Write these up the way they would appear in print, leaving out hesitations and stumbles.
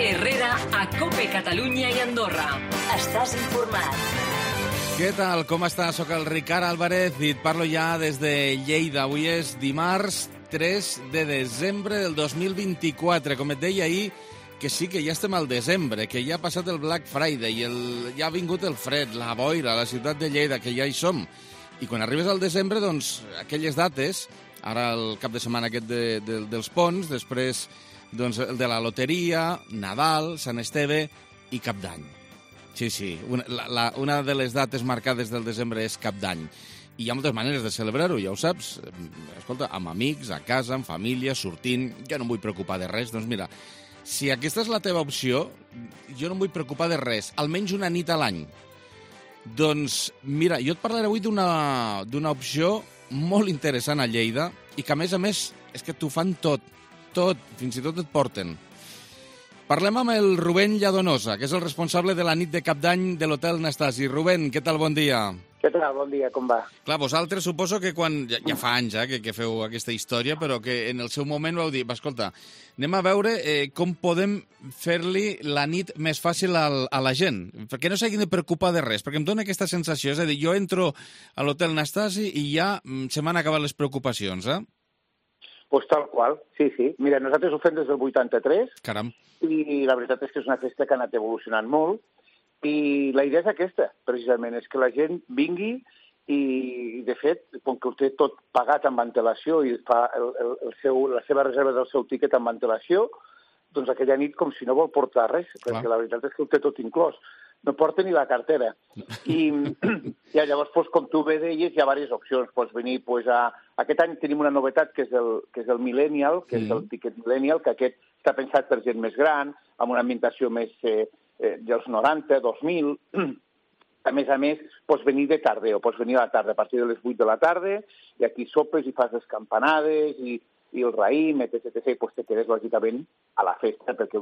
Herrera a COPE Catalunya i Andorra. Estàs informat. Què tal? Com estàs? Soc el Ricard Álvarez i et parlo ja des de Lleida. Avui és dimarts 3 de desembre del 2024. Com et deia ahir, que sí que ja estem al desembre, que ja ha passat el Black Friday, ja ha vingut el fred, la boira, a la ciutat de Lleida, que ja hi som. I quan arribes al desembre, doncs, aquelles dates, ara el cap de setmana aquest dels ponts, després doncs, el de la loteria, Nadal, Sant Esteve i Cap d'Any. Sí, una de les dates marcades del desembre és Cap d'Any. I hi ha moltes maneres de celebrar-ho, ja ho saps. Escolta, amb amics, a casa, amb família, sortint. Jo no em vull preocupar de res. Doncs mira, si aquesta és la teva opció, jo no em vull preocupar de res. Almenys una nit a l'any. Doncs mira, jo et parlaré avui d'una opció molt interessant a Lleida i que, a més, és que t'ho fan tot, fins i tot et porten. Parlem amb el Rubén Lladonosa, que és el responsable de la nit de Cap d'Any de l'Hotel Nastasi. Rubén, què tal? Bon dia. Què tal? Bon dia, com va? Clar, vosaltres suposo que quan... Ja fa anys que feu aquesta història, però que en el seu moment vau dir, escolta, anem a veure com podem fer-li la nit més fàcil a la gent, perquè no s'hagin de preocupar de res, perquè em dóna aquesta sensació, és a dir, jo entro a l'Hotel Nastasi i ja se m'han acabat les preocupacions, eh? Pues tal qual, sí. Mira, nosaltres ho fem des del 83. Caram. I la veritat és que és una festa que ha anat evolucionant molt. I la idea és aquesta, precisament, és que la gent vingui i, de fet, com que ho té tot pagat amb antelació i fa la seva reserva del seu tíquet amb antelació, doncs aquella nit com si no vol portar res, perquè la veritat és que ho té tot inclòs. No porta ni la cartera. I llavors, com tu bé deies, hi ha diverses opcions. Pots venir, aquest any tenim una novetat, que és el Millennial, que és el tiquet Millennial, que aquest està pensat per gent més gran, amb una ambientació més dels 90, 2000. A més, pots venir de tardeo, pots venir a la tarda, a partir de les 8 de la tarda, i aquí sopes i fas les campanades i el raïm, etc. I te quedes, lògicament, a la festa, perquè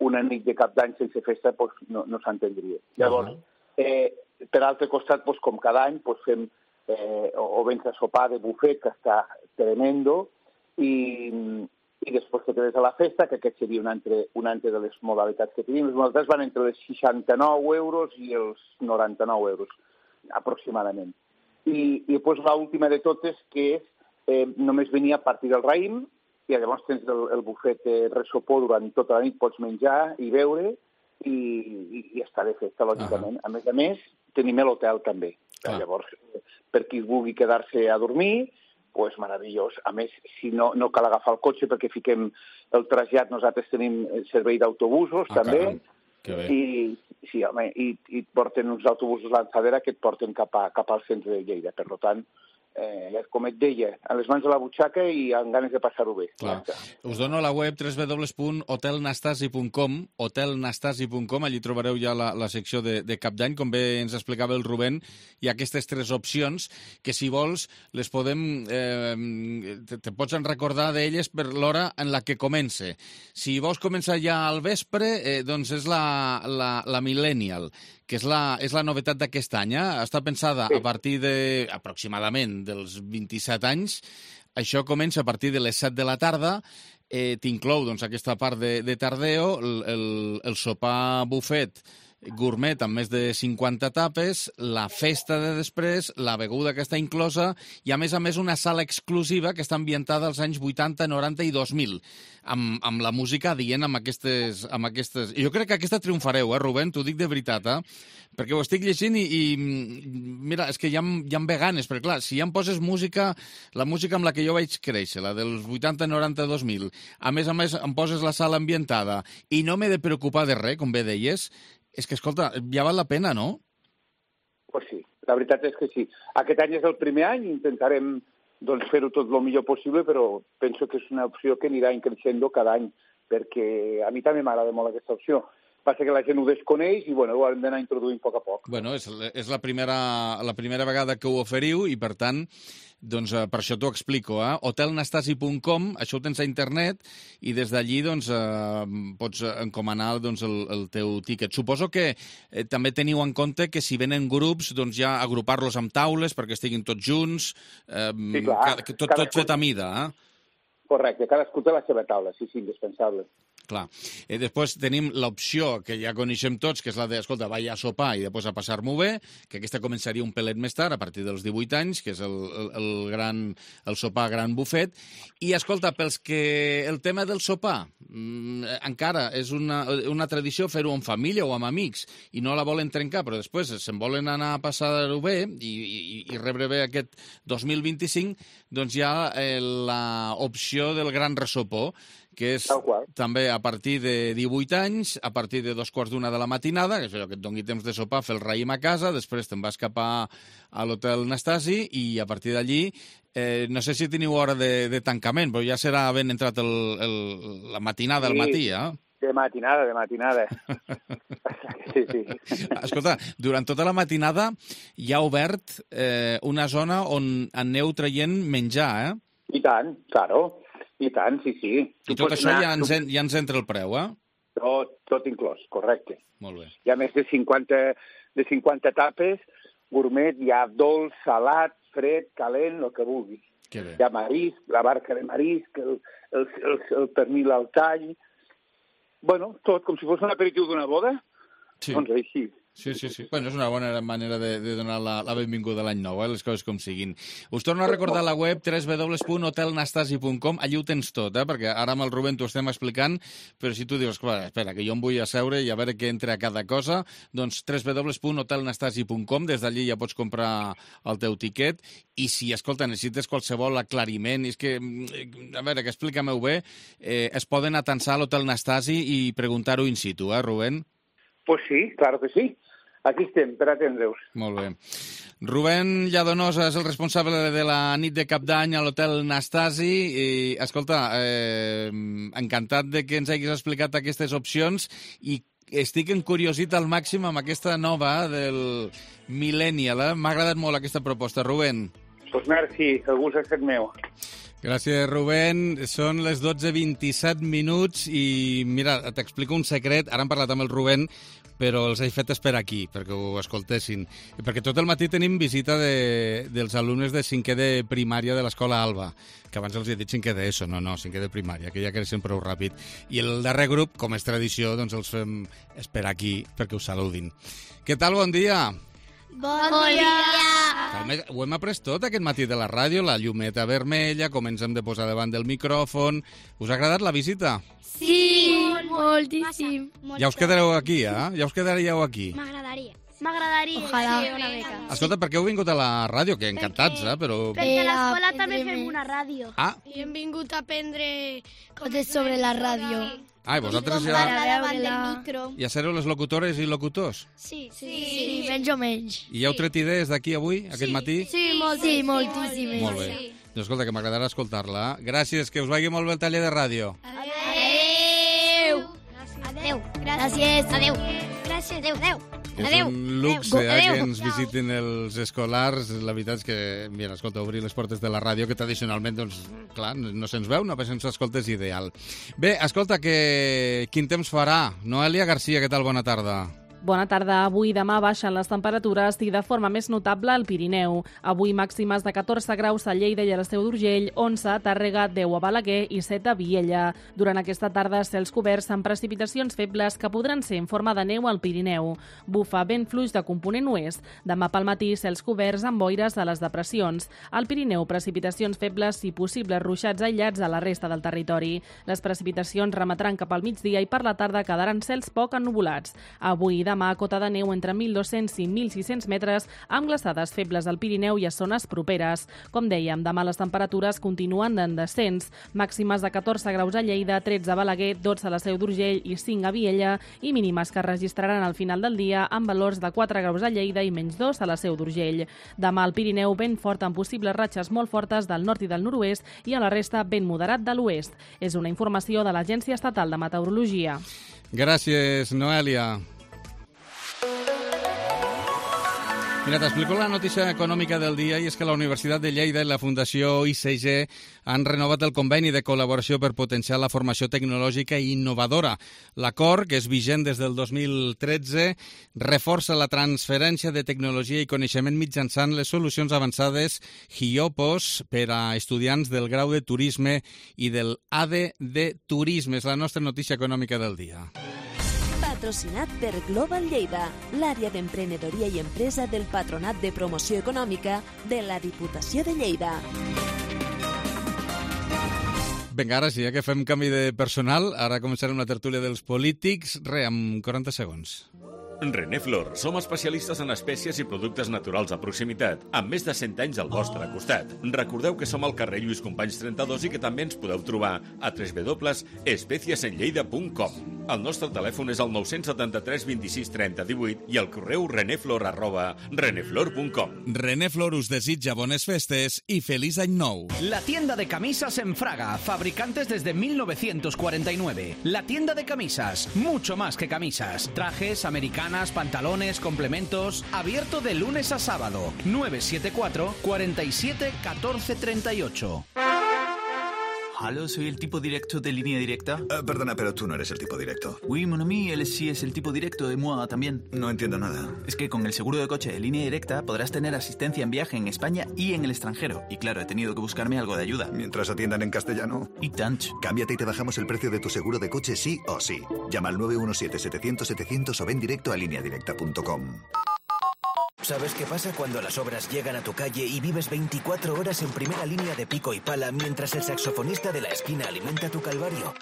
una nit de Cap d'Any sense festa no s'entendria. Llavors, per altre costat, com cada any, fem o vens a sopar de bufet, que està tremendo, i després te quedes a la festa, que aquest seria una altra de les modalitats que tenim. Les modalitats van entre els 69 euros i els 99 euros, aproximadament. I després l'última de totes, que és només venir a partir del raïm, i llavors tens el bufet ressopó durant tota la nit, pots menjar i beure i estar de festa, lògicament. A més, tenim l'hotel també. Llavors, per qui vulgui quedar-se a dormir, doncs meravellós. A més, si no cal agafar el cotxe perquè fiquem el trasllat, nosaltres tenim servei d'autobusos també. Que bé. I et porten uns autobusos lançadera que et porten cap al centre de Lleida. Per tant, com et deia, a les mans de la butxaca i amb ganes de passar-ho bé. Clar. Us dono la web www.hotelnastasi.com, hotelnastasi.com, allí trobareu ja la secció de Cap d'Any, com bé ens explicava el Rubén. Hi ha aquestes 3 opcions que, si vols, les podem... te pots recordar d'elles per l'hora en la que comence. Si vols començar ja al vespre, doncs és la Millennial, que és la novetat d'aquest any. Està pensada a partir aproximadament dels 27 anys. Això comença a partir de les 7 de la tarda. T'inclou aquesta part de tardeo, el sopar bufet gourmet amb més de 50 tapes, la festa de després, la beguda que està inclosa i, a més, una sala exclusiva que està ambientada als anys 80, 90 i 2000, amb la música adient amb aquestes... Jo crec que aquesta triomfareu, Rubén? T'ho dic de veritat, perquè ho estic llegint i mira, és que ja em ve ganes, perquè clar, si ja em poses música, la música amb la que jo vaig créixer, la dels 80, 90, 2000, a més em poses la sala ambientada i no m'he de preocupar de res, com bé deies, és que, escolta, ja val la pena, no? Pues sí, la veritat és que sí. Aquest any és el primer any, intentarem fer-ho tot el millor possible, però penso que és una opció que anirà creixent cada any, perquè a mi també m'agrada molt aquesta opció. Passa que la gent ho desconeix i ho hem d'anar introduint a poc. Bueno, és la primera vegada que ho oferiu i, per tant, doncs per això t'ho explico. Hotelnastasi.com, això ho tens a internet i des d'allí pots encomanar el teu tíquet. Suposo que també teniu en compte que si venen grups, doncs ja agrupar-los amb taules perquè estiguin tots junts, sí, clar. tot fet a mida, Correcte, cadascú té la seva taula, sí, indispensable. Clar. Després tenim l'opció que ja coneixem tots, que és la de, escolta, vaig a sopar i després a passar-m'ho bé, que aquesta començaria un pelet més tard, a partir dels 18 anys, que és el sopar gran bufet. I, escolta, pels que el tema del sopar encara és una tradició fer-ho en família o amb amics i no la volen trencar, però després se'n volen anar a passar-ho bé i rebre bé aquest 2025, doncs hi ha l'opció del gran ressopó, que és també a partir de 18 anys, a partir de 2:15 de la matinada, que és allò que et doni temps de sopar, fer el raïm a casa, després te'n vas cap a l'hotel Nastasi i a partir d'allí, no sé si teniu hora de tancament, però ja serà ben entrat la matinada al matí, eh? De matinada. Sí. Escolta, durant tota la matinada hi ha obert una zona on aneu traient menjar, eh? I tant, claro. I tant, sí. I tot això ja ens entra el preu, eh? Tot inclòs, correcte. Molt bé. Hi ha més de 50 tapes, gourmet, hi ha dolç, salat, fred, calent, el que vulguis. Que bé. Hi ha marisc, la barca de marisc, el pernil al tall... Bueno, tot com si fos un aperitiu d'una boda. Sí. Doncs així. Sí. Bueno, és una bona manera de donar la benvinguda a l'any nou, les coses com siguin. Us torno a recordar la web www.hotelnastasi.com. Allí ho tens tot, perquè ara amb el Rubén t'ho estem explicant, però si tu dius, espera, que jo em vull asseure i a veure què entra a cada cosa, doncs www.hotelnastasi.com, des d'allí ja pots comprar el teu tiquet, i si, escolta, necessites qualsevol aclariment, és que, a veure, que explica-m'ho bé, es poden atansar a l'Hotel Nastasi i preguntar-ho in situ, Rubén? Pues sí, claro que sí. Aquí estem, per atendre-us. Molt bé. Rubén Lladonosa és el responsable de la nit de Cap d'Any a l'Hotel Nastasi. I, escolta, encantat de que ens hagis explicat aquestes opcions i estic encuriosit al màxim amb aquesta nova del Millennial. M'ha agradat molt aquesta proposta, Rubén. Pues merci, el gust ha estat meu. Gràcies, Rubén. Són les 12:27 minuts i, mira, t'explico un secret. Ara hem parlat amb el Rubén, però els he fet esperar aquí, perquè ho escoltessin. Perquè tot el matí tenim visita dels alumnes de 5è de primària de l'Escola Alba, que abans els he dit 5è d'ESO, no, 5è de primària, que ja creixen prou ràpid. I el darrer grup, com és tradició, doncs els fem esperar aquí perquè us saludin. Què tal, bon dia? Bon dia! Ho hem après tot aquest matí de la ràdio, la llumeta vermella, com ens hem de posar davant del micròfon. Us ha agradat la visita? Sí, moltíssim. Ja us quedareu aquí, eh? Ja us quedaríeu aquí. M'agradaria. Ojalà. Sí, una mica. Escolta, per què heu vingut a la ràdio? Que encantats, però... Perquè a l'escola també fem una ràdio. Ah, I hem vingut a aprendre Coses sobre la ràdio. i vosaltres Com ja, parlar davant del micro. ja sereu les locutores i locutors? Sí, menys o menys. I heu tret idees d'aquí avui, aquest matí? Sí, moltíssimes. Molt bé. Doncs escolta, que m'agradarà escoltar-la. Gràcies, que us vagi molt bé el taller de ràdio. Adéu. Gràcies. Adéu. Gràcies. Adéu. És un luxe que ens visitin els escolars. La veritat és que, mira, escolta, obrir les portes de la ràdio, que tradicionalment, doncs, clar, no se'ns veu, no se'ns escolta, és ideal. Bé, escolta, quin temps farà? Noelia Garcia, què tal? Bona tarda. Bona tarda. Avui i demà baixen les temperatures i de forma més notable al Pirineu. Avui màximes de 14 graus a Lleida i a l'Esteu d'Urgell, 11 a Tàrrega, 10 a Balaguer i 7 a Viella. Durant aquesta tarda, cels coberts amb precipitacions febles que podran ser en forma de neu al Pirineu. Bufa vent fluix de component oest. Demà pel matí, cels coberts amb boires a les depressions. Al Pirineu, precipitacions febles i possibles ruixats aïllats a la resta del territori. Les precipitacions remetran cap al migdia i per la tarda quedaran cels poc ennuvolats. Avui i demà, cota de neu entre 1.200 i 1.600 metres, amb glaçades febles al Pirineu i a zones properes. Com dèiem, demà les temperatures continuen en descens. Màximes de 14 graus a Lleida, 13 a Balaguer, 12 a l'Esteu d'Urgell i 5 a Viella, i mínimes que es registraran al final del dia amb valors de 4 graus a Lleida i menys 2 a l'Esteu d'Urgell. Demà al Pirineu, vent fort amb possibles ratxes molt fortes del nord i del nord-oest i a la resta vent moderat de l'oest. És una informació de l'Agència Estatal de Meteorologia. Gràcies, Noelia. Mira, t'explico la notícia econòmica del dia i és que la Universitat de Lleida i la Fundació ICG han renovat el conveni de col·laboració per potenciar la formació tecnològica i innovadora. L'acord, que és vigent des del 2013, reforça la transferència de tecnologia i coneixement mitjançant les solucions avançades HIOPOS per a estudiants del grau de turisme i del ADE de turisme. És la nostra notícia econòmica del dia. Patrocinat per Global Lleida, l'àrea d'emprenedoria i empresa del Patronat de Promoció Econòmica de la Diputació de Lleida. Vinga, ara sí, que fem canvi de personal. Ara començarem la tertúlia dels polítics. Amb 40 segons. René Flor, som especialistes en espècies i productes naturals a proximitat, amb més de 100 anys al vostre costat. Recordeu que som al carrer Lluís Companys 32 i que també ens podeu trobar a www.especiesenlleida.com. El nostre telèfon és el 973 26 30 18 i el correu reneflor@reneflor.com. René Flor us desitja bones festes i feliç any nou. La tienda de camisas en Fraga, fabricantes desde 1949. La tienda de camisas, mucho más que camisas. Trajes, americanas, pantalones, complementos. Abierto de lunes a sábado. 974 47 14 38. Hola, soy el tipo directo de Línea Directa. Perdona, pero tú no eres el tipo directo. Oui, mon ami, él sí es el tipo directo de moi también. No entiendo nada. Es que con el seguro de coche de Línea Directa podrás tener asistencia en viaje en España y en el extranjero. Y claro, he tenido que buscarme algo de ayuda. Mientras atiendan en castellano. Y tant. Cámbiate y te bajamos el precio de tu seguro de coche sí o sí. Llama al 917-700-700 o ven directo a lineadirecta.com. ¿Sabes qué pasa cuando las obras llegan a tu calle y vives 24 horas en primera línea de pico y pala mientras el saxofonista de la esquina alimenta tu calvario?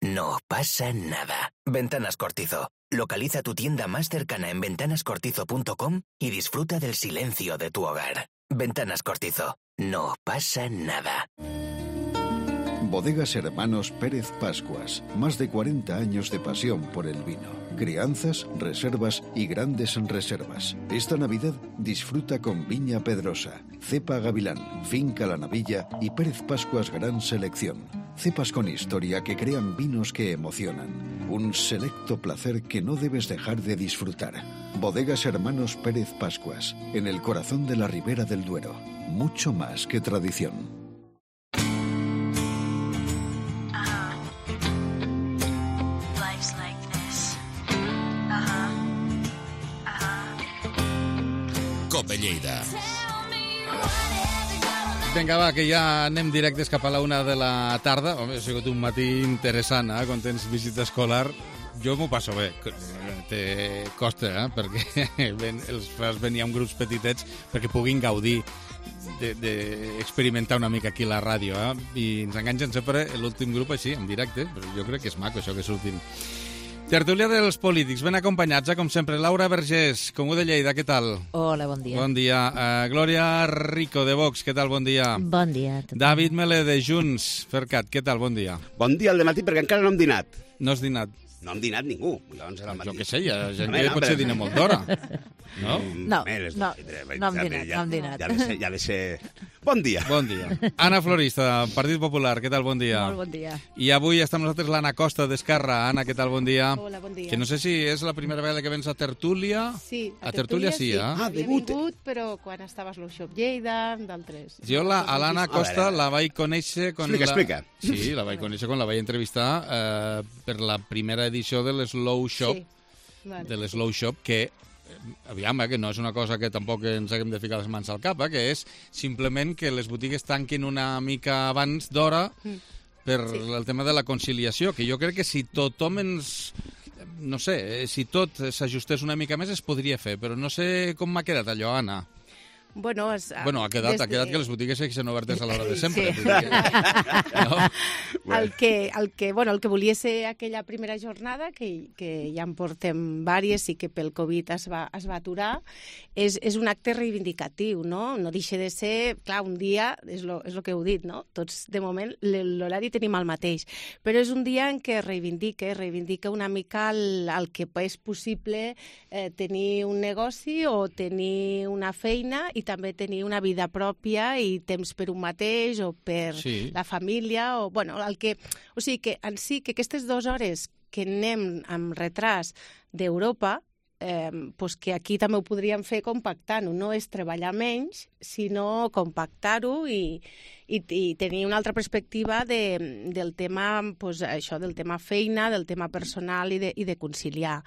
No pasa nada. Ventanas Cortizo. Localiza tu tienda más cercana en ventanascortizo.com y disfruta del silencio de tu hogar. Ventanas Cortizo. No pasa nada. Bodegas Hermanos Pérez Pascuas. Más de 40 años de pasión por el vino. Crianzas, reservas y grandes reservas. Esta Navidad disfruta con Viña Pedrosa, Cepa Gavilán, Finca La Navilla y Pérez Pascuas Gran Selección. Cepas con historia que crean vinos que emocionan. Un selecto placer que no debes dejar de disfrutar. Bodegas Hermanos Pérez Pascuas, en el corazón de la Ribera del Duero. Mucho más que tradición. Cope Lleida. Vinga, va, que ja anem directes cap a la 1 de la tarda. Home, ha sigut un matí interessant, quan tens visita escolar. Jo m'ho passo bé. Te costa, perquè els fas venir amb grups petitets perquè puguin gaudir d'experimentar una mica aquí a la ràdio. I ens enganxen sempre l'últim grup així, en directe, però jo crec que és maco això que surtin. Tertúlia dels polítics, ben acompanyats, com sempre. Laura Vergés, Comú de Lleida, què tal? Hola, bon dia. Bon dia. Glòria Rico, de Vox, què tal? Bon dia. Bon dia. David Melé, de Junts, Fercat, què tal? Bon dia. Bon dia al dematí, perquè encara no hem dinat. No has dinat? No hem dinat ningú. Llavors era el matí. Jo què sé, hi ha gent que potser dina molt d'hora. No? No hem dinat. Ja de ser... Bon dia. Bon dia. Anna Florista, Partit Popular, què tal? Bon dia. Molt bon dia. I avui està amb nosaltres l'Anna Costa, d'Esquerra. Anna, què tal? Bon dia. Hola, bon dia. Que no sé si és la primera vegada que vens a Tertúlia. Sí, a Tertúlia sí, eh? Havia vingut, però quan estaves a l'Ushop Lleida, d'altres. Jo a l'Anna Costa la vaig conèixer... Explica. Sí, la vaig conèixer quan la vaig entrevistar per la primera edició de l'Slow Shop, de l'Slow Shop, que aviam, que no és una cosa que tampoc ens haguem de ficar les mans al cap, que és simplement que les botigues tanquin una mica abans d'hora per el tema de la conciliació, que jo crec que si tothom ens... No sé, si tot s'ajustés una mica més es podria fer, però no sé com m'ha quedat allò, Anna. Bueno, ha quedat que les botigues segueixen obertes a l'hora de sempre. Sí. El que volia ser aquella primera jornada, que ja en portem vàries i que pel Covid es va aturar, és un acte reivindicatiu, no? No deixa de ser, clar, un dia, és el que heu dit, no? Tots, de moment, l'horari tenim el mateix, però és un dia en què reivindica una mica el que és possible tenir un negoci o tenir una feina i també tenir una vida pròpia i temps per un mateix o per la família. O sigui que en si que aquestes 2 hores que anem amb retras d'Europa, que aquí també ho podríem fer compactant-ho. No és treballar menys, sinó compactar-ho i tenir una altra perspectiva del tema, això, del tema feina, del tema personal i de conciliar.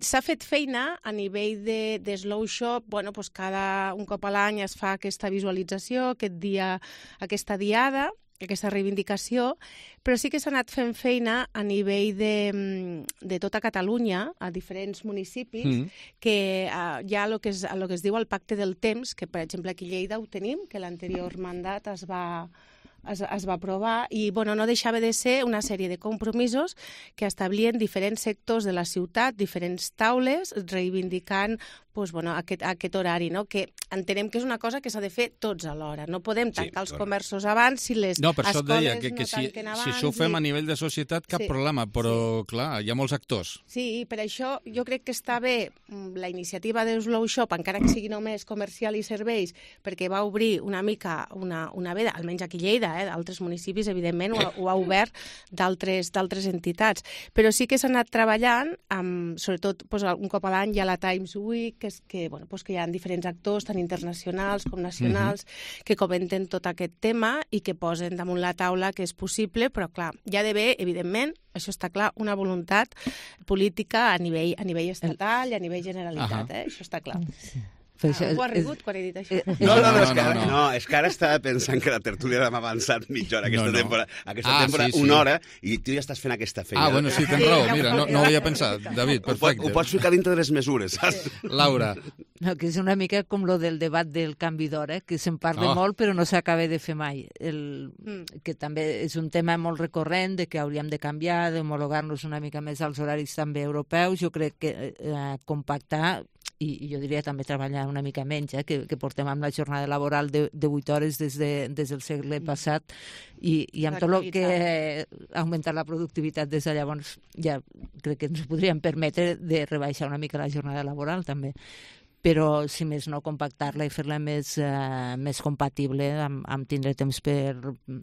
S'ha fet feina a nivell de Slow Shop, cada un cop a l'any es fa aquesta visualització, aquesta diada, aquesta reivindicació, però sí que s'ha anat fent feina a nivell de tota Catalunya, a diferents municipis, que hi ha el que es diu el pacte del temps, que per exemple aquí a Lleida ho tenim, que l'anterior mandat es va aprovar i no deixava de ser una sèrie de compromisos que establien diferents sectors de la ciutat, diferents taules, reivindicant aquest horari, que entenem que és una cosa que s'ha de fer tots alhora. No podem tancar els comerços abans si les escoles no tanquen abans. No, per això et deia que si això ho fem a nivell de societat, cap problema, però clar, hi ha molts actors. Sí, per això jo crec que està bé la iniciativa de Slow Shop, encara que sigui només comercial i serveis, perquè va obrir una mica una veda, almenys aquí a Lleida, d'altres municipis, evidentment, ho ha obert d'altres entitats. Però sí que s'ha anat treballant, sobretot un cop a l'any hi ha la Times Week, que hi ha diferents actors, tant internacionals com nacionals, que comenten tot aquest tema i que posen damunt la taula que és possible, però clar, hi ha d'haver, evidentment, això està clar, una voluntat política a nivell estatal i a nivell Generalitat, això està clar. Ho ha rigut quan he dit això? No, és que ara estava pensant que la tertúlia l'hem avançat mitja hora aquesta temporada, una hora, i tu ja estàs fent aquesta feina. Bueno, sí, tens raó, mira, no ho havia pensat, David, perfecte. Ho pots ficar dintre de les mesures, saps? Laura. No, que és una mica com lo del debat del canvi d'hora, que se'n parla molt però no s'acaba de fer mai. Que també és un tema molt recurrent de que hauríem de canviar, d'homologar-nos una mica més als horaris també europeus. Jo crec que compactar i jo diria també treballar una mica menys, que portem amb la jornada laboral de 8 hores des del segle passat i amb tot el que ha augmentat la productivitat des de llavors ja crec que ens podríem permetre de rebaixar una mica la jornada laboral també. Però, si més no, compactar-la i fer-la més compatible amb tindre temps per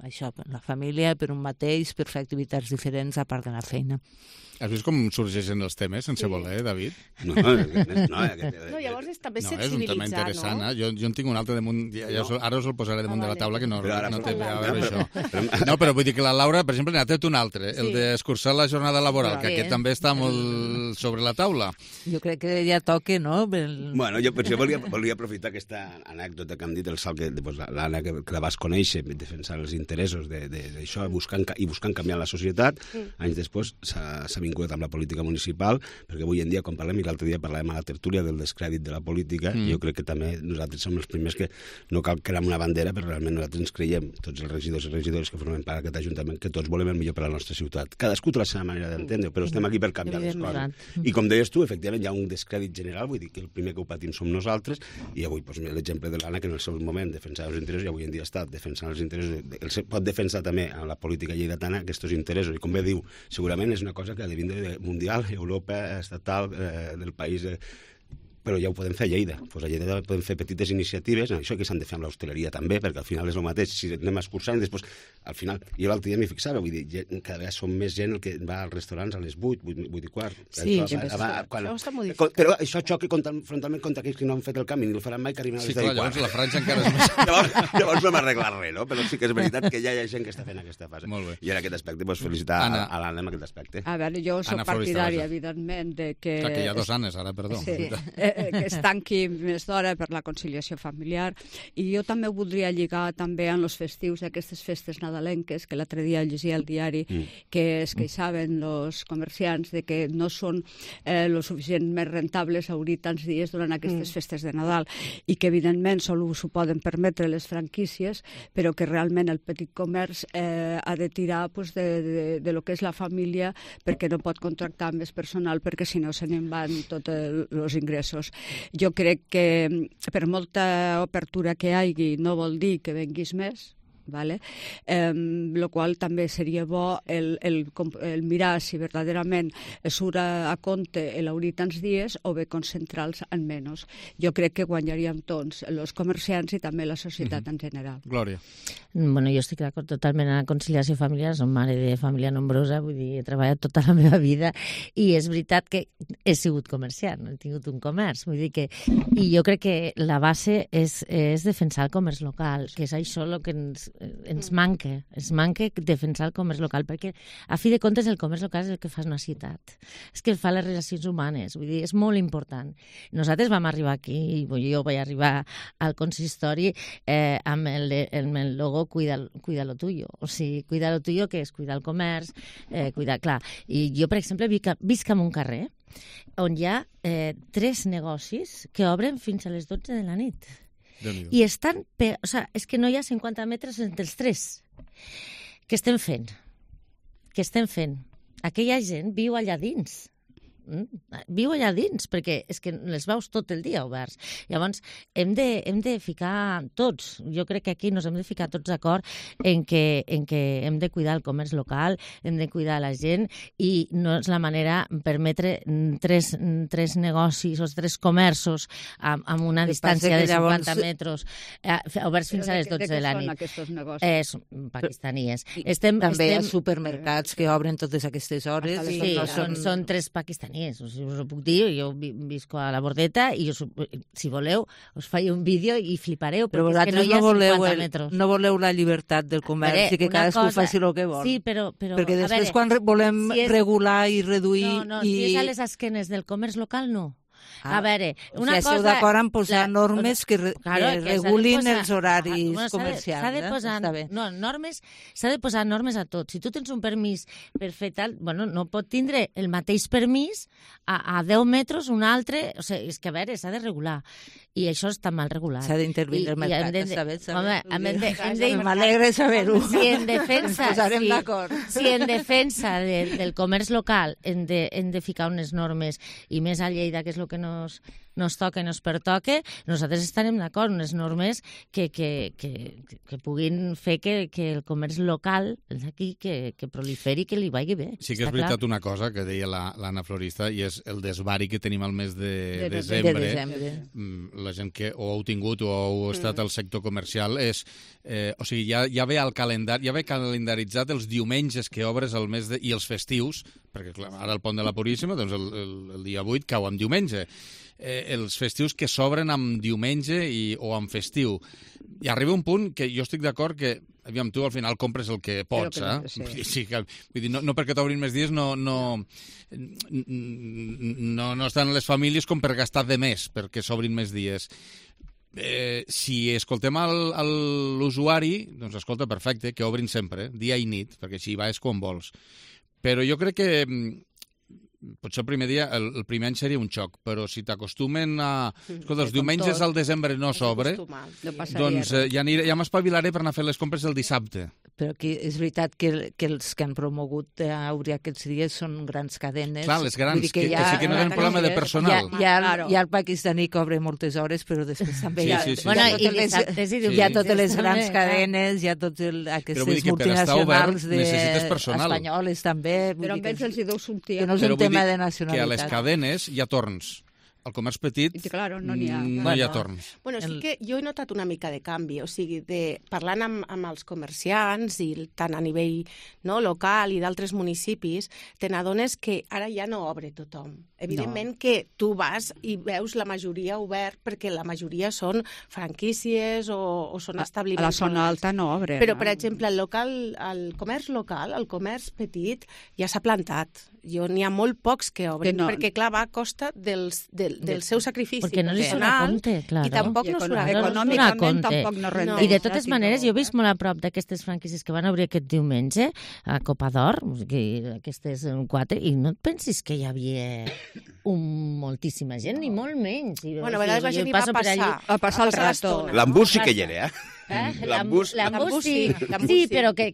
això, per la família, per un mateix, per fer activitats diferents a part de la feina. Has vist com sorgeixen els temes sense voler, David? No, llavors és també sensibilitzar, no? És un tema interessant, Jo en tinc un altre damunt, ara us el posaré damunt de la taula, que no té a veure això. No, però vull dir que la Laura, per exemple, n'ha tret un altre, el d'escurçar la jornada laboral, que aquest també està molt sobre la taula. Jo crec que ja toca, no? Bueno, jo volia aprofitar aquesta anècdota que hem dit, el salt que l'Anna, que la vas conèixer, defensant els interessos d'això i buscant canviar la societat, anys després s'ha vinculat amb la política municipal, perquè avui en dia, quan parlem, i l'altre dia parlàvem a la tertúlia del descrèdit de la política, jo crec que també nosaltres som els primers que no cal crear una bandera, però realment nosaltres ens creiem, tots els regidors i regidores que formen part d'aquest ajuntament, que tots volem el millor per a la nostra ciutat. Cadascú té la seva manera d'entendre, però estem aquí per canviar les coses. I com deies tu, efectivament, hi ha un descrèdit general, vull dir que el primer que ho patim som nosaltres, i avui l'exemple de l'Anna, que en el seu moment defensava els interessos, i avui en dia està defensant els interessos, pot defensar també a la política lleidatana aquests interessos, i com bé diu, segurament és una cosa que ha de vindre mundial, Europa, estatal, del país però ja ho podem fer a Lleida. A Lleida podem fer petites iniciatives, això que s'han de fer amb l'hostaleria també, perquè al final és el mateix, si anem escurçant, després, al final, jo l'altre dia m'hi fixava, vull dir, cada vegada som més gent el que va als restaurants a les 8 i quart. Sí, això està modificat. Però això xoca frontalment contra aquells que no han fet el canvi, ni el faran mai, que arriben a les 10 i quart. Llavors la franja encara és més... Llavors no hem arreglat res, no? Però sí que és veritat que ja hi ha gent que està fent aquesta fase. I en aquest aspecte, felicitar a l'Anna en aquest aspecte. A veure, jo soc partidària, evidentment, de que... Clar, que hi ha 2 Annes, ara, perdó. Que es tanqui més d'hora per la conciliació familiar, i jo també ho voldria lligar també amb els festius d'aquestes festes nadalenques, que l'altre dia llegia al diari que es queixaven els comerciants de que no són lo suficientment rentables obrir tants dies durant aquestes festes de Nadal, i que evidentment sols s'ho poden permetre les franquícies, però que realment el petit comerç ha de tirar de lo que és la família, perquè no pot contractar més personal, perquè si no se n'en van tots els ingressos. Jo crec que per molta obertura que hi hagi no vol dir que venguis més, ¿vale? Lo qual també seria bo el mirar si verdaderament surt a compte l'haurir tants dies o bé concentrar-los en menys. Jo crec que guanyaríem tots, els comerciants i també la societat en general. Glòria. Bueno, jo estic d'acord totalment en la conciliació familiar, som mare de família nombrosa, vull dir, he treballat tota la meva vida i és veritat que he sigut comerciant, he tingut un comerç, vull dir que... I jo crec que la base és defensar el comerç local, que és això el que ens manca defensar el comerç local, perquè a fi de comptes el comerç local és el que fa una ciutat, és que fa les relacions humanes, vull dir, és molt important. Nosaltres vam arribar aquí, jo vaig arribar al consistori amb el logo cuida lo tuyo, o sigui, cuida lo tuyo, que és cuidar el comerç, clar. I jo, per exemple, visc en un carrer on hi ha 3 negocis que obren fins a les 12 de la nit. I estan... O sigui, és que no hi ha 50 metres entre els 3. Què estem fent? Aquella gent viu allà dins. Viu allà dins, perquè és que les veus tot el dia oberts. Llavors, hem de ficar tots, jo crec que aquí ens hem de ficar tots d'acord en que hem de cuidar el comerç local, hem de cuidar la gent, i no és la manera permetre 3 negocis o 3 comerços amb una distància de 50 metres oberts fins a les 12 de la nit. Què són aquests negocis? Pakistaníes. També hi ha supermercats que obren totes aquestes hores. Sí, són 3 pakistaníes. Us ho puc dir, jo visco a la Bordeta i si voleu us faig un vídeo i flipareu, però perquè és que no hi ha 50 metres. No voleu la llibertat del comerç i que cadascú faci el que vol. Sí, però perquè després quan volem regular i reduir... Si és a les esquenes del comerç local, no. A veure, una cosa... Esteu d'acord en posar normes que regulin els horaris comercials. S'ha de posar normes, s'ha de posar normes a tot. Si tu tens un permís per fer tal, bueno, no pot tindre el mateix permís a 10 metres un altre, o sigui, és que a veure, s'ha de regular. I això està mal regulat. S'ha d'intervenir el mercat, m'alegra saber-ho. Si en defensa del comerç local hem de ficar unes normes, i més a Lleida, que és el que nos toca i nos pertoca, nosaltres estarem d'acord, unes normes que puguin fer que el comerç local d'aquí que proliferi, que li vagi bé. Sí que és veritat una cosa que deia l'Anna Florista, i és el desvari que tenim al mes de desembre. La gent que o heu tingut o heu estat al sector comercial és... O sigui, ja ve al calendari, ja ve calendaritzat els diumenges que obres al mes i els festius, perquè clar, ara el Pont de la Puríssima, doncs el dia 8 cau en diumenge. Els festius que s'obren amb diumenge o amb festiu. I arriba un punt que jo estic d'acord que, aviam, tu al final compres el que pots, Sí, vull dir, no perquè t'obrin més dies no estan les famílies com per gastar de més perquè s'obrin més dies. Si escoltem l'usuari, doncs escolta, perfecte, que obrin sempre, dia i nit, perquè així vas quan vols. Però jo crec que potser el primer dia, el primer any seria un xoc, però si t'acostumen a... Escolta, els diumenges al desembre no s'obre, doncs ja m'espavilaré per anar a fer les compres el dissabte. Però és veritat que els que han promogut obrir aquests dies són grans cadenes. Clar, les grans, que sí que no tenen problema de personal. Hi ha el pakistaní que obre moltes hores, però després també hi ha totes les grans cadenes, hi ha totes aquestes multinacionals espanyoles també. Però amb ells els hi deu sortir. Que no és un tema de nacionalitat. Que a les cadenes hi ha torns. Al comerç petit no hi ha torns. Bueno, sí que jo he notat una mica de canvi, o sigui, parlant amb els comerciants, i tant a nivell local i d'altres municipis, te n'adones que ara ja no obre tothom. Evidentment que tu vas i veus la majoria obert, perquè la majoria són franquícies o són establiments. A la zona alta no obre. Però, per exemple, el comerç local, el comerç petit, ja s'ha plantat. N'hi ha molt pocs que obren, perquè, clar, va a costa del seu sacrifici. Perquè no li surt a compte, clar. I tampoc no surt a compte. Econòmicament tampoc no renta. I de totes maneres, jo he vist molt a prop d'aquestes franquícies que van obrir aquest diumenge a Copa d'Or, aquestes 4, i no et pensis que hi havia moltíssima gent, ni molt menys. Bueno, a vegades la gent hi va a passar el rato. L'embús sí que hi era, L'embús sí. Sí, però que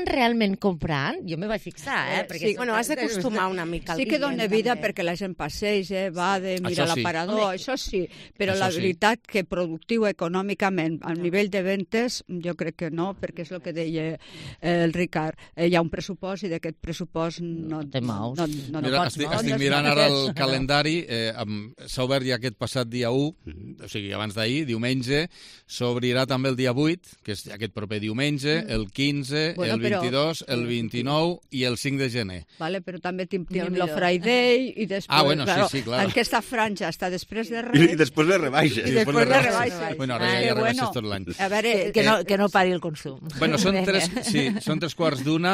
realment comprant, jo me vaig fixar, Sí, bueno, has d'acostumar una mica al dia. Sí que dona vida perquè la gent passeja, va de mirar l'aparador, això sí, però la veritat que productiu econòmicament, a nivell de ventes, jo crec que no, perquè és el que deia el Ricard, hi ha un pressupost i d'aquest pressupost no te mous. Estic mirant ara el calendari, s'ha obert ja aquest passat dia 1, o sigui, abans d'ahir, diumenge, s'obrirà també el dia 8, que és aquest proper diumenge, el 15, el 22, el 29 i el 5 de gener. Vale, però també tenim el Friday i després, sí, clar. Aquesta franja està després de res. I després les rebaixes. I després les rebaixes. Bueno, ara ja hi ha rebaixes tot l'any. A veure, que no pari el consum. Bueno, són 3:15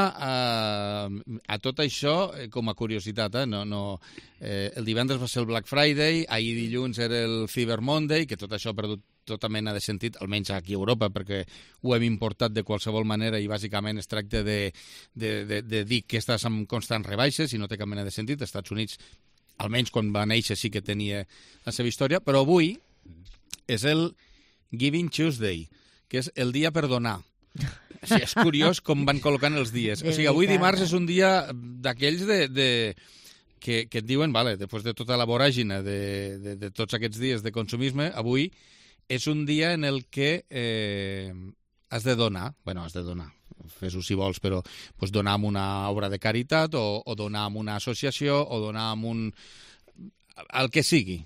a tot això, com a curiositat, el divendres va ser el Black Friday, ahir dilluns era el Cyber Monday, que tot això ha perdut tota mena de sentit, almenys aquí a Europa, perquè ho hem importat de qualsevol manera i bàsicament es tracta de dir que estàs amb constants rebaixes i no té cap mena de sentit. Als Estats Units, almenys quan va néixer, sí que tenia la seva història, però avui és el Giving Tuesday, que és el dia per donar. O sigui, és curiós com van col·locant els dies. O sigui, avui dimarts és un dia d'aquells que et diuen, vale, després de tota la voràgina de tots aquests dies de consumisme, avui és un dia en el que has de donar, fes-ho si vols, però pues, donar amb una obra de caritat o donar amb una associació o donar amb el que sigui.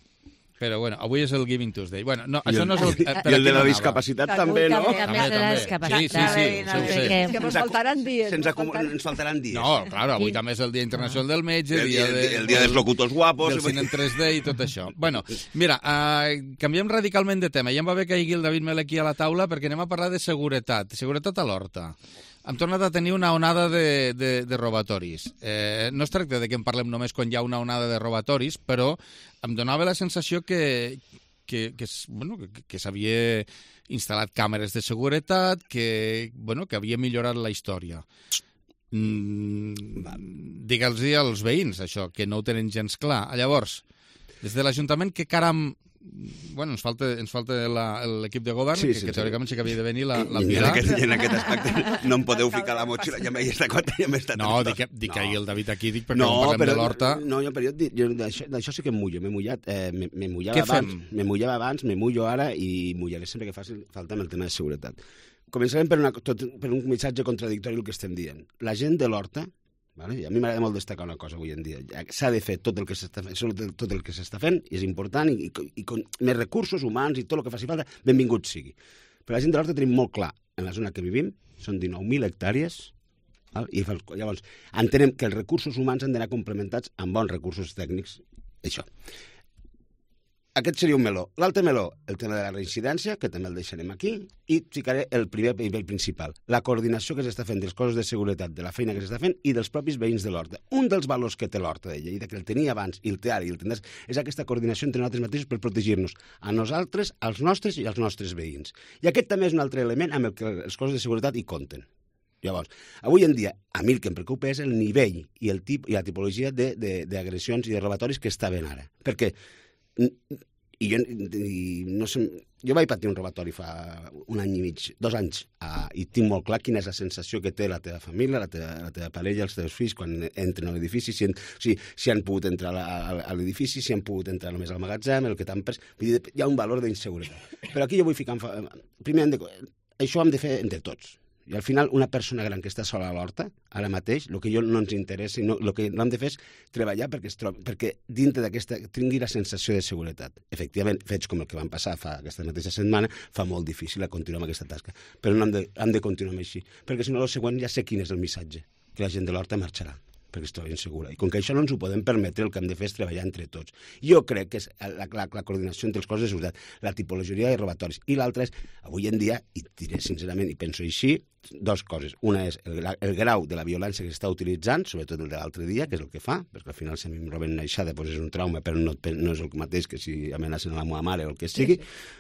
Però, bueno, avui és el Giving Tuesday. Bueno, no, això no és el... I el de la discapacitat també, no? També de la discapacitat. Sí, ho sé. És que ens faltaran dies. Ens faltaran dies. No, clar, avui també és el Dia Internacional del Metge, el dia dels locutors guapos... Del cine en 3D i tot això. Bueno, mira, canviem radicalment de tema. Ja em va bé que hi hagi el David Mel aquí a la taula perquè anem a parlar de seguretat a l'Horta. Hem tornat a tenir una onada de robatoris. No es tracta de que en parlem només quan hi ha una onada de robatoris, però em donava la sensació que s'havia instal·lat càmeres de seguretat, que havia millorat la història. Digue'ls als veïns, això, que no ho tenen gens clar. Llavors, des de l'Ajuntament, que caram... Bueno, ens falta l'equip de govern, que teòricament sí que havia de venir la Pilar. I en aquest aspecte no em podeu ficar la motxilla, ja m'he estat quatre, ja m'he estat... No, dic que ahir el David aquí, dic perquè no parlem de l'Horta... No, però d'això sí que em mullo, m'he mullat. M'he mullava abans, m'he mullo ara i mullaré sempre que faci falta amb el tema de seguretat. Començarem per un missatge contradictori el que estem dient. La gent de l'Horta, vale? A mi m'agrada molt destacar una cosa avui en dia. S'ha de fer tot el que s'està fent, és important, i més recursos humans i tot el que faci falta, benvingut sigui. Però la gent de l'Horta tenim molt clar, en la zona que vivim, són 19.000 hectàrees, i llavors entenem que els recursos humans han d'anar complementats amb bons recursos tècnics. Això. Aquest seria un meló. L'altre meló, el tema de la reincidència, que també el deixarem aquí, i ficaré el primer nivell principal, la coordinació que s'està fent dels cossos de seguretat, de la feina que s'està fent i dels propis veïns de l'Horta. Un dels valors que té l'Horta de Lleida, que el tenia abans i el té ara i el tindràs, és aquesta coordinació entre nosaltres mateixos per protegir-nos a nosaltres, als nostres i als nostres veïns. I aquest també és un altre element amb el que els cossos de seguretat hi compten. Llavors, avui en dia, a mi el que em preocupa és el nivell i la tipologia d'agressions i de robatoris que està ben ara. Perquè jo vaig patir un robatori fa un any i mig, 2 anys, i tinc molt clar quina és la sensació que té la teva família, la teva parella, els teus fills, quan entren a l'edifici, si han pogut entrar a l'edifici, si han pogut entrar només al magatzem, el que t'han pres... Vull dir, hi ha un valor d'inseguretat. Però aquí jo vull ficar... Primer, això hem de fer entre tots. I al final, una persona gran que està sola a l'Horta, ara mateix, el que no ens interessa, el que no hem de fer és treballar perquè dintre d'aquesta tingui la sensació de seguretat. Efectivament, fets com el que van passar aquesta mateixa setmana, fa molt difícil continuar amb aquesta tasca. Però no hem de continuar així, perquè si no, el següent ja sé quin és el missatge, que la gent de l'Horta marxarà perquè es troba insegura. I com que això no ens ho podem permetre, el que hem de fer és treballar entre tots. Jo crec que és la coordinació entre els cossos de seguretat, la tipologia de robatoris. I l'altre és, avui en dia, i diré sincerament, i penso així, dues coses. Una és el grau de la violència que s'està utilitzant, sobretot el de l'altre dia, que és el que fa, perquè al final si a mi em roben una aixada doncs és un trauma, però no és el mateix que si amenacen a la meva mare o el que sigui,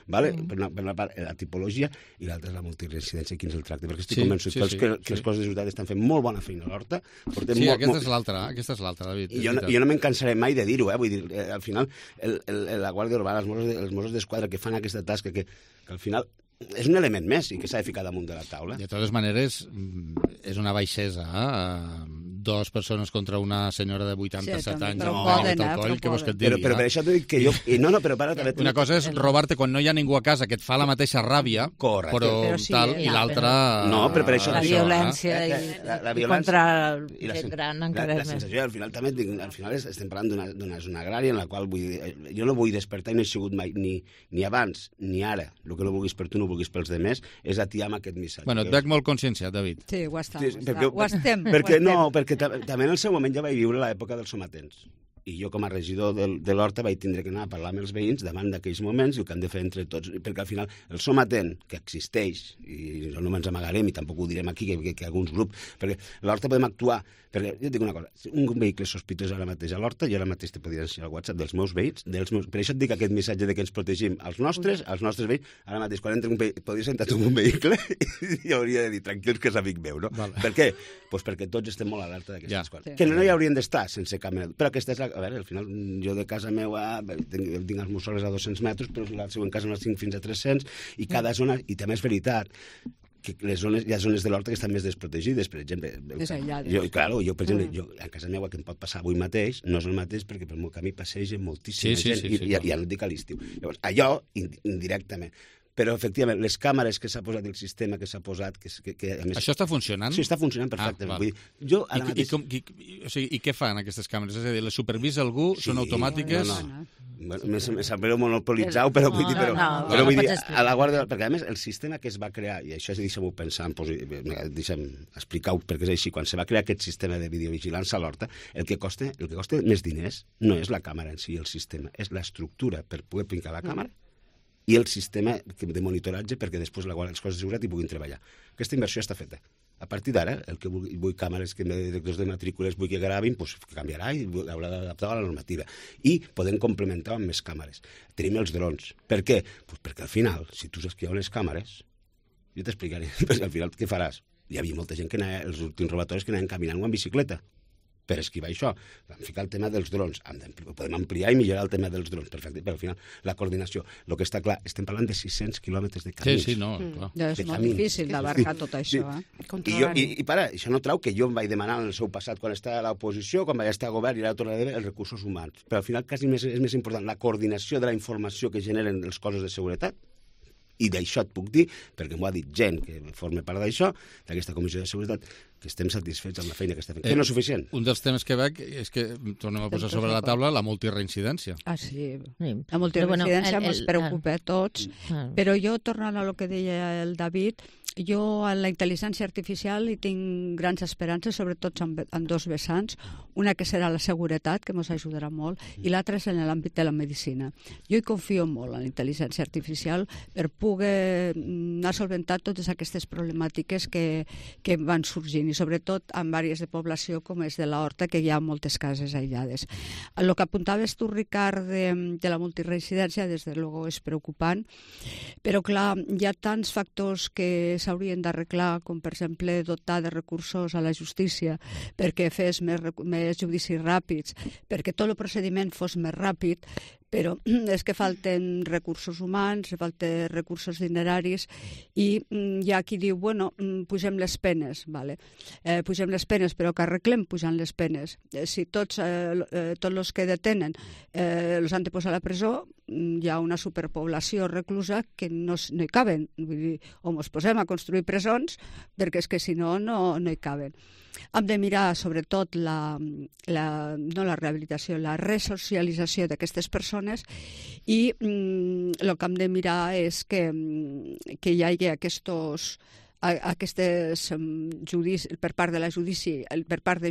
vale? Per una part, la tipologia, i l'altra és la multireincidència, quin és el tracte, perquè estic convençut que els cossos de seguretat estan fent molt bona feina a l'Horta. Sí, aquesta és l'altra, David. I jo no me'n cansaré mai de dir-ho, vull dir, al final, la Guàrdia Urbana, els Mossos d'Esquadra que fan aquesta tasca, que al final és un element més i que s'ha de ficar damunt de la taula. De totes maneres, és una baixesa, dues persones contra una senyora de 87 anys amb alcohol, què vols que et digui? Però per això t'ho dic que jo... No, però para també... Una cosa és robar-te quan no hi ha ningú a casa, que et fa la mateixa ràbia, però tal, i l'altra... No, però per això... La violència i contra gent gran encara més. La sensació, al final també al final estem parlant d'una zona agrària en la qual jo no vull despertar i no he sigut mai ni abans ni ara. El que no vulguis per tu no vulguis pels demés, és atiar amb aquest missatge. Bueno, et veig molt conscienciat, David. Sí, ho estem. Perquè també en el seu moment ja vaig viure l'època dels somatents. I jo, com a regidor de l'Horta, vaig tindre que anar a parlar amb els veïns davant d'aquells moments i el que han de fer entre tots. Perquè al final el somatent, que existeix, i no ens amagarem i tampoc ho direm aquí, que alguns grups, perquè a l'Horta podem actuar. Perquè jo et dic una cosa, un vehicle sospitós ara mateix a l'Horta, jo ara mateix te podria ensenyar el WhatsApp dels meus veïns, per això et dic aquest missatge de que ens protegim els nostres veïns, ara mateix quan entra un vehicle, podria sentar tu en un vehicle i hauria de dir, tranquils que és amic meu, no? Vale. Per què? Pues perquè tots estem molt alerta d'aquestes coses. Que no hi haurien d'estar sense cap mena. Però aquesta és la... A veure, al final, jo de casa meva tinc els meus soles a 200 metres, però la següent casa me'n tinc fins a 300, i cada zona, i també és veritat, que hi ha zones de l'Horta que estan més desprotegides, per exemple. Jo, per exemple, a casa meva que em pot passar avui mateix, no és el mateix perquè pel meu camí passegen moltíssima gent i ja no et dic a l'estiu. Llavors, allò, indirectament. Però, efectivament, les càmeres que s'ha posat, el sistema que s'ha posat... a més, això està funcionant? Sí, està funcionant perfectament. Vull dir, jo ara mateix... I què fan aquestes càmeres? És a dir, les supervisa algú? Són automàtiques? No. Me sap greu monopolitzar-ho, però vull dir... Però vull dir, a la Guàrdia... Perquè, a més, el sistema que es va crear, i això deixem-ho pensar, deixem explicar-ho perquè és així, quan se va crear aquest sistema de videovigilància a l'Horta, el que costa més diners no és la càmera en si, el sistema, és l'estructura per poder pincar la càmera i el sistema de monitoratge perquè després els cossos de seguretat hi puguin treballar. Aquesta inversió està feta. A partir d'ara, el que vull càmeres que directors de matrícules vull que gravin, doncs canviarà i haurà d'adaptar a la normativa. I podem complementar amb més càmeres. Tenim els drons. Per què? Pues perquè al final, si tu saps que hi ha unes càmeres, jo t'explicaré, perquè al final què faràs? Hi havia molta gent que anava, els últims robatoris que anaven caminant o en bicicleta per esquivar això. Vam ficar el tema dels drons. Podem ampliar i millorar el tema dels drons, perfecte, però al final la coordinació. El que està clar, estem parlant de 600 quilòmetres de camins. Sí, no, clar. És molt difícil d'abarcar tot això. I para, això no trau que jo em vaig demanar en el seu passat, quan estava a l'oposició, quan vaig estar a govern i ara tornaré els recursos humans. Però al final quasi és més important la coordinació de la informació que generen els cossos de seguretat. I d'això et puc dir, perquè m'ho ha dit gent que forma part d'això, d'aquesta comissió de seguretat, que estem satisfets amb la feina que està fent. Que no és suficient. Un dels temes que veig és que tornem a posar sobre la taula la multireincidència. Ah, sí. La multireincidència ens preocupa a tots, però jo, tornant a lo que deia el David, jo a la intel·ligència artificial hi tinc grans esperances, sobretot en dos vessants. Una que serà la seguretat, que ens ajudarà molt, i l'altra és en l'àmbit de la medicina. Jo hi confio molt en la intel·ligència artificial per poder anar solventant totes aquestes problemàtiques que van sorgint, i sobretot en àrees de població com és de l'Horta, que hi ha moltes cases aïllades. El que apuntaves tu, Ricard, de la multireincidència, des de luego és preocupant, però clar, hi ha tants factors que s'haurien d'arreglar, com per exemple dotar de recursos a la justícia perquè fes més judicis ràpids, perquè tot el procediment fos més ràpid, però és que falten recursos humans, falten recursos dineraris, i hi ha qui diu, bueno, pugem les penes, vale. Pugem les penes, però que arreglem pujant les penes. Si tots els que detenen els han de posar a la presó, hi ha una superpoblació reclusa que no hi caben. Vull dir, o ens posem a construir presons, perquè és que si no hi caben. Hem de mirar sobretot no la rehabilitació, la resocialització d'aquestes persones, i el que hem de mirar és que hi hagi aquests per part de la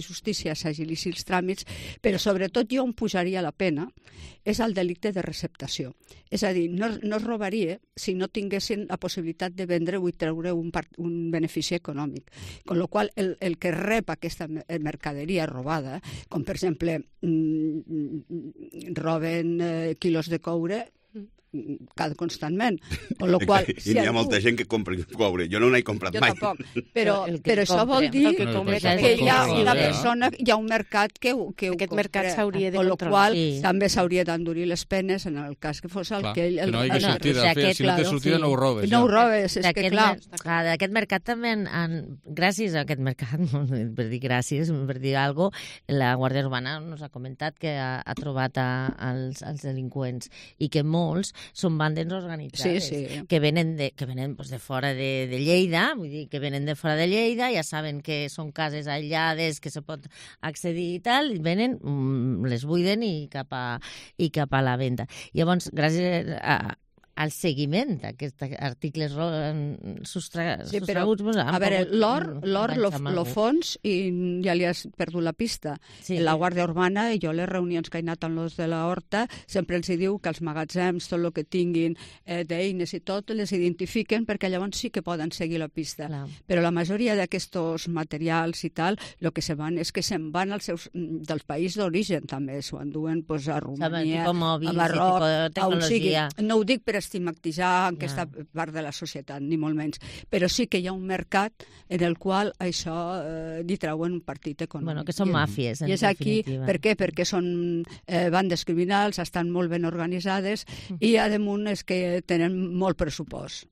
justícia s'agilissin els tràmits, però sobretot jo on pujaria la pena és el delicte de receptació. És a dir, no es robaria si no tinguessin la possibilitat de vendre-ho i treure un benefici econòmic. Con la qual el que rep aquesta mercaderia robada, com per exemple roben quilos de coure constantment. Con lo qual, I n'hi ha molta gent que compra coure. Jo no n'he comprat mai. Jo tampoc. Però això vol dir que hi ha una persona, hi ha un mercat que ho compra. Aquest mercat s'hauria de controlar. Con lo qual, també s'hauria d'endurir les penes en el cas que fos el que ell... Que no hi ha sortida. Si no té sortida, no ho robes. No ho robes, és que clar. D'aquest mercat també, gràcies a aquest mercat, per dir gràcies, per dir alguna cosa, la Guàrdia Urbana ens ha comentat que ha trobat els delinqüents i que molts són bandes organitzades que venen de fora de Lleida, vull dir, que venen de fora de Lleida, ja saben que són cases aïllades, que se pot accedir i tal, i venen, les buiden i cap a la venda. Llavors, gràcies al seguiment d'aquests articles sostraguts... A veure, l'or, lo fons, i ja li has perdut la pista. La Guàrdia Urbana, i jo les reunions que he anat amb els de la Horta, sempre els diu que els magatzems, tot el que tinguin d'eines i tot, les identifiquen perquè llavors sí que poden seguir la pista. Però la majoria d'aquests materials i tal, el que se van és que se'n van dels països d'origen, també. S'ho enduen a Romania, a Marroc, a on sigui. No ho dic per estigmatitzar aquesta part de la societat, ni molt menys. Però sí que hi ha un mercat en el qual això li treuen un partit econòmic. Bueno, que són màfies, en definitiva. I és aquí, per què? Perquè són bandes criminals, estan molt ben organitzades i, a damunt, és que tenen molt pressupost.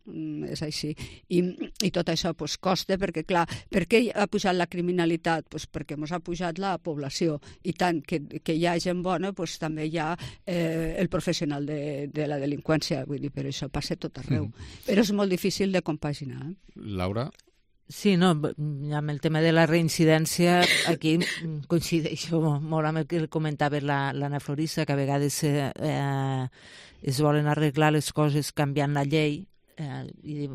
És així. I tot això costa, perquè, clar, per què ha pujat la criminalitat? Perquè ens ha pujat la població. I tant que hi ha gent bona, també hi ha el professional de la delinqüència. Vull dir, però això passa tot arreu. Però és molt difícil de compaginar. Laura? Sí, no, amb el tema de la reincidència, aquí coincideixo molt amb el que comentava l'Anna Florissa, que a vegades es volen arreglar les coses canviant la llei, i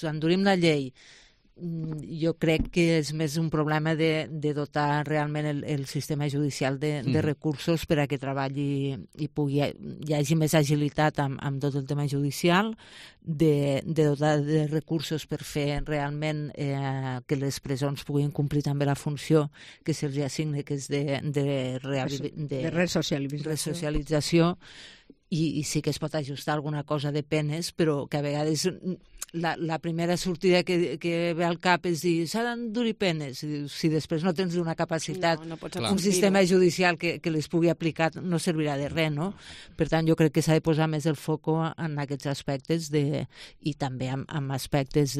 endurim la llei. Jo crec que és més un problema de dotar realment el sistema judicial de recursos per a que treballi i hi hagi més agilitat amb tot el tema judicial, de dotar de recursos per fer realment que les presons puguin complir també la funció que se'ls assigna, que és de resocialització, i sí que es pot ajustar alguna cosa de penes, però que a vegades la primera sortida que ve al cap és dir s'ha d'endurir penes, si després no tens una capacitat, un sistema judicial que les pugui aplicar, no servirà de res, no? Per tant, jo crec que s'ha de posar més el foco en aquests aspectes i també en aspectes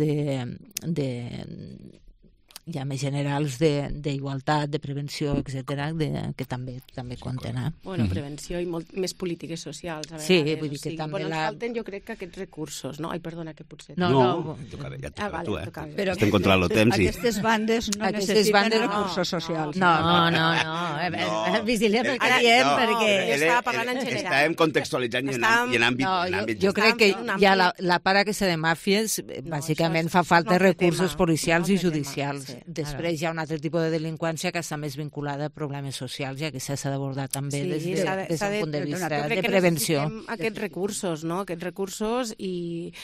ja més generals d'igualtat, de prevenció, etc., que també compten. Bueno, prevenció i més polítiques socials. Sí, vull dir que també... Ens falten, jo crec, que aquests recursos, no? Ai, perdona, que potser... No, ja et tocarà tu, Estem contra el temps. Aquestes bandes no necessiten recursos socials. No. Vigilem el que diem, perquè... Jo estava parlant en general. Estàvem contextualitzant i en àmbit... Jo crec que hi ha la part aquesta de màfies, bàsicament fa falta recursos policials i judicials. Després hi ha un altre tipus de delinqüència que està més vinculada a problemes socials i que s'ha d'abordar també des d'un punt de vista de prevenció. Aquests recursos, no? Aquests recursos i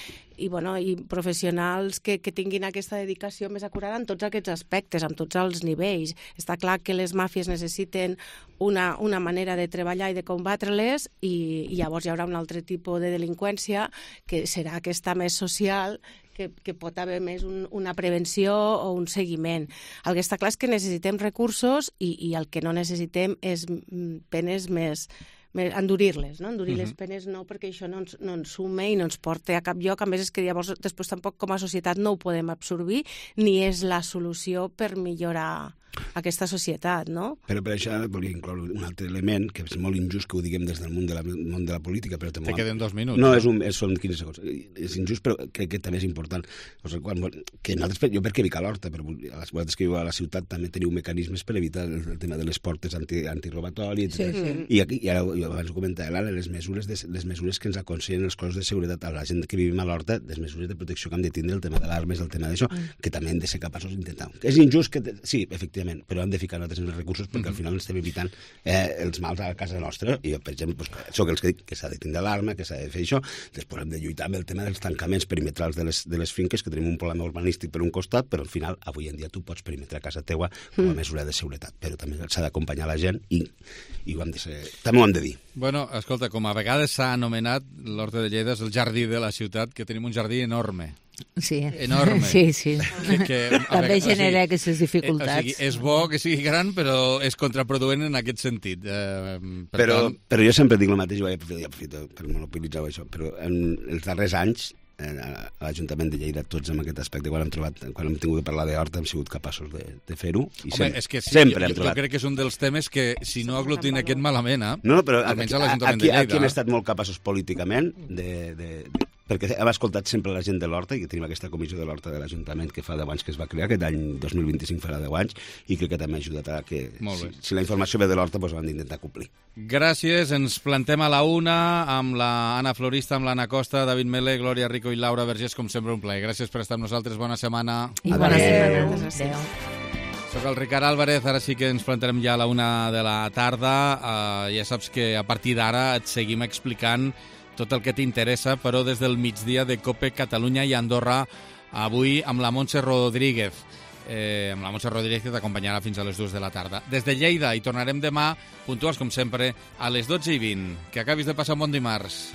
professionals que tinguin aquesta dedicació més acurada en tots aquests aspectes, en tots els nivells. Està clar que les màfies necessiten una manera de treballar i de combatre-les i llavors hi haurà un altre tipus de delinqüència que serà aquesta més social, que pot haver més una prevenció o un seguiment. El que està clar és que necessitem recursos i el que no necessitem és penes més endurir-les, no? Endurir les penes no, perquè això no ens sume i no ens porta a cap lloc. A més, és que llavors després tampoc com a societat no ho podem absorbir ni és la solució per millorar aquesta societat, no? Però per això volia incloure un altre element, que és molt injust que ho diguem des del món de la política, però també... Te queden 2 minuts. No, són 15 segons. És injust, però crec que també és important. O sigui, que nosaltres, jo perquè vic a l'Horta, però a les vegades que viu a la ciutat també teniu mecanismes per evitar el tema de les portes antirobatori, etc. I ara, jo abans ho comentava, les mesures que ens aconsellen els cossos de seguretat a la gent que vivim a l'Horta, les mesures de protecció que hem de tindre, el tema de l'armes, el tema d'això, que també hem de ser capaços d'intentar. És injust que... Sí, efectivament, però hem de ficar nosaltres els recursos perquè al final estem evitant els mals a casa nostra. I jo, per exemple, soc els que dic que s'ha de tindre l'alarma, que s'ha de fer això. Després hem de lluitar amb el tema dels tancaments perimetrals de les finques, que tenim un problema urbanístic per un costat, però al final, avui en dia, tu pots perimetrar casa teua com a mesura de seguretat, però també s'ha d'acompanyar la gent i ho hem de ser... també ho hem de dir. Bueno, escolta, com a vegades s'ha anomenat l'Horta de Lleida és el jardí de la ciutat, que tenim un jardí enorme. Sí. Enorme. Sí. També genera aquestes dificultats. O sigui, és bo que sigui gran, però és contraproduent en aquest sentit. Però jo sempre dic el mateix, i aprofito per monopolitzar això, però en els darrers anys a l'Ajuntament de Lleida, tots en aquest aspecte, quan hem tingut de parlar d'Horta, hem sigut capaços de fer-ho. Home, és que sí, jo crec que és un dels temes que, si no aglutina aquest malament, no, però almenys a l'Ajuntament de Lleida. Aquí hem estat molt capaços políticament perquè hem escoltat sempre la gent de l'Horta, i tenim aquesta comissió de l'Horta de l'Ajuntament que fa 10 anys que es va crear, aquest any 2025 farà 10 anys, i crec que també ha ajudat a que, si la informació ve de l'Horta, doncs ho hem d'intentar complir. Gràcies, ens plantem a la 1 amb l'Anna Florista, amb l'Anna Costa, David Mele, Glòria Rico i Laura Vergés, com sempre un plaer. Gràcies per estar amb nosaltres, bona setmana. I bona setmana. Adéu. Soc el Ricard Álvarez, ara sí que ens plantarem ja a la 1 de la tarda. Ja saps que a partir d'ara et seguim explicant tot el que t'interessa, però des del migdia de COPE Catalunya i Andorra, avui amb la Montse Rodríguez. Amb la Montse Rodríguez que t'acompanyarà fins a les 2 de la tarda. Des de Lleida hi tornarem demà, puntuals com sempre, a les 12:20. Que acabis de passar un bon dimarts.